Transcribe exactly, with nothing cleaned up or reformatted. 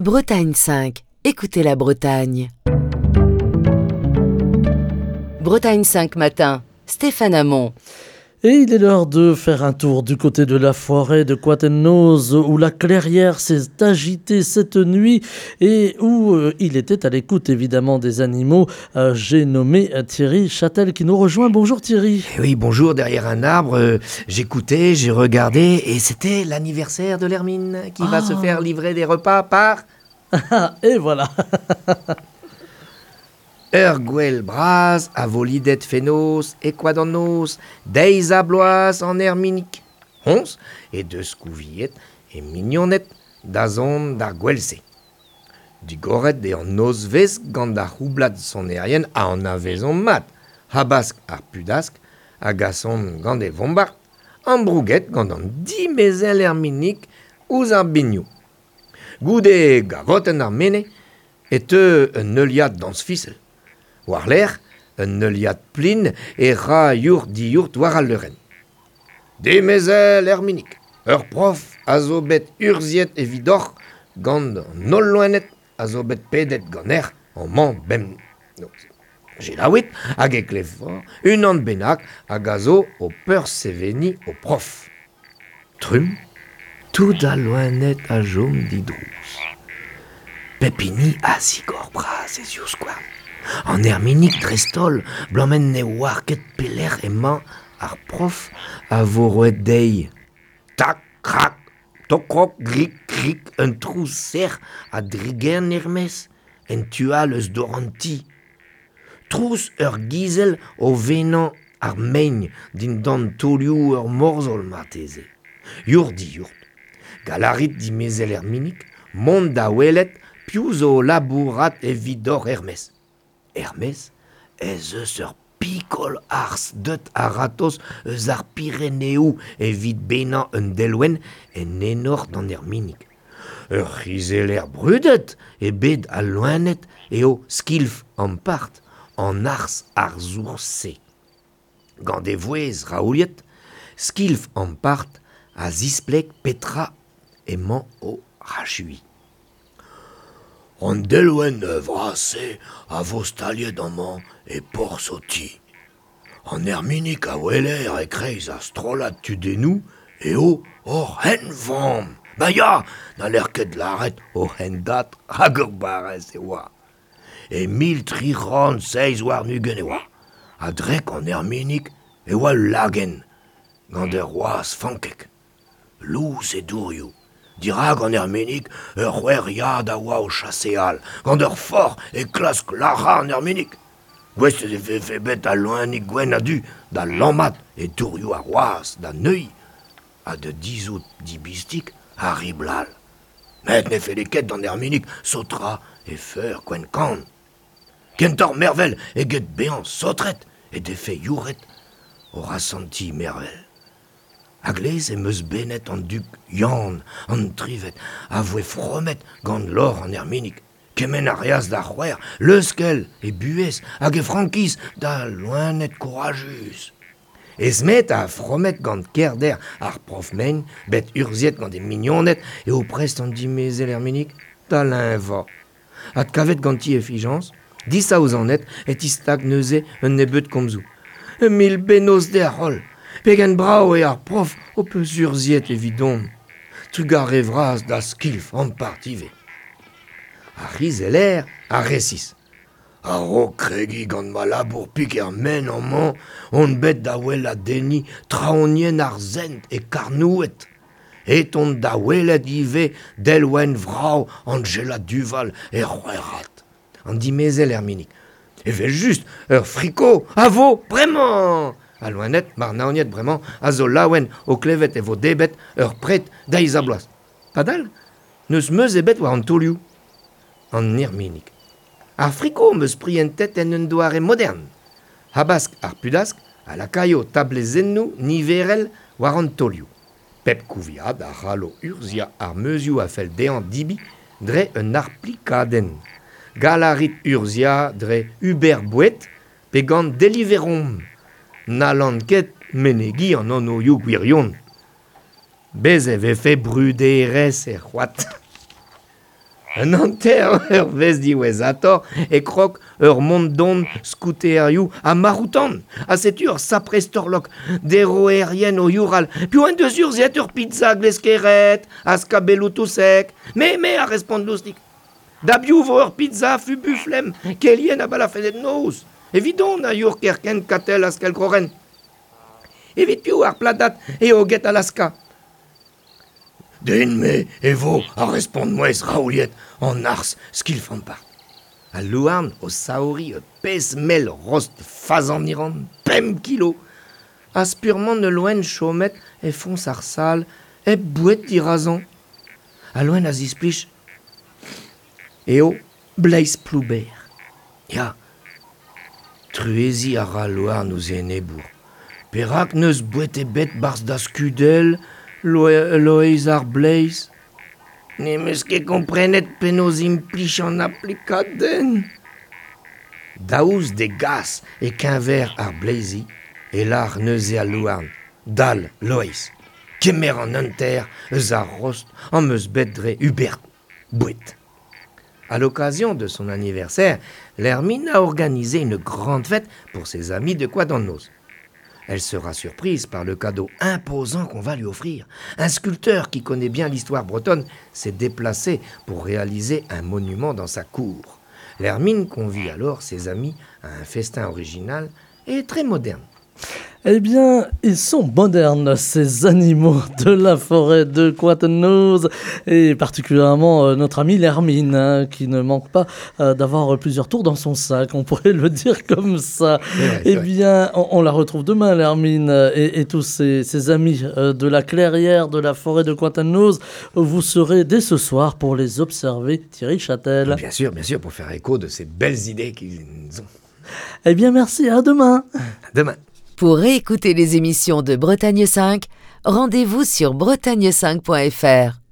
Bretagne cinq, écoutez la Bretagne. Bretagne cinq matin, Stéphane Hamon. Et il est l'heure de faire un tour du côté de la forêt de Coatennoz, où la clairière s'est agitée cette nuit et où euh, il était à l'écoute évidemment des animaux. Euh, j'ai nommé Thierry Châtel qui nous rejoint. Bonjour Thierry. Oui, bonjour. Derrière un arbre, euh, j'écoutais, j'ai regardé et c'était l'anniversaire de l'hermine qui ah. va se faire livrer des repas par... Et voilà. Ur gwell bras a vo lidet fenoz e koad an noz, deiz a bloaz an erminik. Hons e deus kouviet e mignonet da zon d'ar gwell-se. Digoret e an nozvez gant ar c'houblad sonerien a an avezon mat, habask ar pudask, a gason gant e vombard, ambrouget gant an dimezel erminik ouzh ar biniou. Goude gavotenn ar mene, e teu un neuliad dans fisel. War l'air, un neuliad plin e ra yourt diourt war al leurenn. Demezel erminik, ur prof a zo bet urziet evidoc'h gant an holl loened a zo bet pedet gant an mañ bem. Gelaouit hag e klev unan bennak hag a zo o peur seveni o prof. Trum, tout a loened a jom didrouz. Pepini a zigor bras e zioskouarn. An erminik dreistholl, blammen ne oar ket pelec'h emañ ar prof a vo roet dezhi. Tak, krak, tokrok, grik, krik, un trouz serr a drigern er-maez, en tu all eus dor an ti. Trouz ur gizel o venañ ar mein dindan taolioù ur morzhol marteze. Yourt di-yourt. Galarit dimezel erminik, mont da welet piv zo labourat evidoc'h er-maez. Hermès, ez eus ur pikol arz deut a ratoz eus ar Pireneoù evit benañ un delwenn en enor d'an erminik. Ur c'hizeller brudet e bed al loened eo skilf ampart an arz arzour-se. Gant e vouezh raouliet, skilf ampart a zispleg petra emañ o rachui. An delwenn vras-se a vo staliet amañ e porzh o ti. An erminik a weler e-kreiz ar strollad tudennoù eo hor henvamm. Ba ya, n'haller ket lâret o hendad hag ur barrez e oa. E mil tri c'hant seizh warn-ugent e oa. A-drek an erminik e oa ul lagenn, gant ur wazh fankek. Lous e dourioù. Dirak an erminik, ur c'houeriad a oa o chaseal, gant ur forc'h e klask lârañ an erminik. Gouest e vefe bet al loenig gwenn a-du da lammat e dourioù ar wazh da neuiñ ha da dizhout dibistik ar riblal. Met ne felle ket d'an erminik saotrañ e feur gwenn-kann. Kentoc'h mervel eget bezañ saotret e defe youret o asantiñ mervel. A-gleiz em eus benet an dug Yann, an trivet, a voe fromet gant lor an erminik. Kement a reas d'ar c'houer, leuskel e buhez hag e frankiz da loened kourajus. Esmet a fromet gant kerder ar prof-mein, bet urziet gant e mignoned eo prest an dimezel erminik da leñvañ. Adkavet ganti e fijañs, disaouzanet e tistag neuze un nebeud komzoù. Mil bennozh deoc'h holl. Pegen brav eo ar prof o peus urziet evidon. Trugarez vras da skilf ampart ivez. Ar c'hizeller a resis. A-raok kregiñ gant ma labour pik er men amañ, on bet da weladenniñ traonienn ar sent e Karnoued. Et on da welet ivez delwenn vrav Angela Duval e C'houerc'had. An dimezel erminik. Evel-just, ur friko a vo bremañ! A loened, marnaoniet bremañ, a zo laouen o klevet e vo debret ur pred deiz ha bloaz. Padal, n'eus meuz ebet war an taolioù. An erminik. Ar friko 'm eus prientet en un doare modern. Habask ar pudask a lakaio tablezennoù niverel war an taolioù. Pep kouviad a c'hallo urzhiañ ar meuzioù a fell dezhañ debriñ dre un arplikadenn. Gall a rit urzhiañ dre Uber Boued pe gant Deliverom. N'hallan ket menegiñ an anvioù gwirion. Bez' e vefe bruderezh er c'hoad. Un hanter ur vez diwezhator e krog ur mont-don skouterioù ha maroutan, a setu ur sapre storlok, deroerien o youral, piv en deus urzhiet ur pizza gleskeret, a skabelloù touseg, me, me a respont Loustik. Da biv vo ur pizza fubu flem, kelien a balafennet noz, evidon a your kerkent katel a skelgroren. Evit piv ar pladat e o get Alaska. Den me e vo a respont mouez raouliet an ars skilfan par. A louarn o saori e pez mel rost fazan iran, pemp kilo. A spurmant ne loen chomet e fons ar sal e bouet dirazan. A loen a zisplich eo bleiz plouber. Ya, truezi a ra louarn ouz enebour. Perak neus bouet e bet barz da skudel, Loeiz ar bleiz. Ne meus ket komprenet penaos implij an aplikadenn. Daoust d'e gas e keñver ar bleizi e lar neuze al louarn. Dal, Loeiz, kemer an hanter eus ar rost am eus bet dre Hubert Bouet. À l'occasion de son anniversaire, l'Hermine a organisé une grande fête pour ses amis de Koad an Noz. Elle sera surprise par le cadeau imposant qu'on va lui offrir. Un sculpteur qui connaît bien l'histoire bretonne s'est déplacé pour réaliser un monument dans sa cour. L'Hermine convie alors ses amis à un festin original et très moderne. Eh bien, ils sont modernes, ces animaux de la forêt de Koad an Noz, et particulièrement euh, notre ami l'Hermine, hein, qui ne manque pas euh, d'avoir plusieurs tours dans son sac, on pourrait le dire comme ça. C'est vrai, c'est Eh vrai. bien, on, on la retrouve demain, l'Hermine, euh, et, et tous ses, ses amis euh, de la clairière de la forêt de Koad an Noz. Vous serez dès ce soir pour les observer, Thierry Châtel. Bien sûr, bien sûr, pour faire écho de ces belles idées qu'ils ont. Eh bien, merci, à demain. À demain. Pour réécouter les émissions de Bretagne cinq, rendez-vous sur bretagne cinq point F R.